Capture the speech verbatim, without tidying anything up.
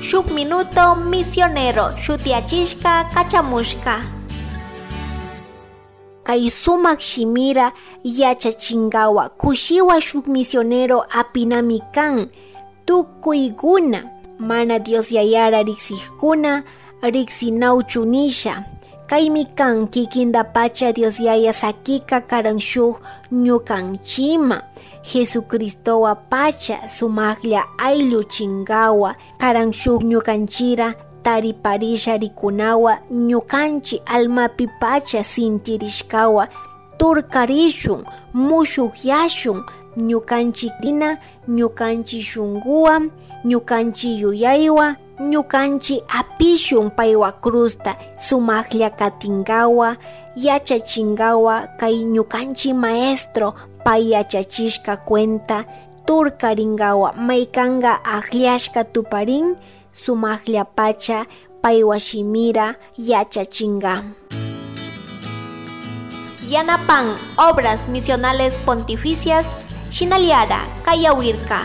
Shuk minuto misionero shutiyachishka kachamushka. Kay sumak shimira yachachinkawa kushiwa shuk misionero apinami kan. Tukuykuna mana Dios Yayara riksikkuna riksinawchu nisha. Kaymi kan kikintapacha Dios Yaya sakika karan shuk ñukanchima. Jesucristowapacha sumaklla aylluchinkawa karan shuk ñukanchira tariparisha rikunawa ñukanchi almapipacha sintirishkawa turkarishun, mushukyashun, ñukanchi krina, ñukanchi shunkuwan, ñukanchi yuyaywan, ñukanchi apishun paywa cruzta sumaklla katinkawa, yachachinkawa kay ñukanchi maestro pay yachachishka cuenta turkarinkawa maykanka akllashka tuparin sumakllapacha paywa shimira yachachinka. Yanapan Obras Misionales Pontificias shinallara kayawirka.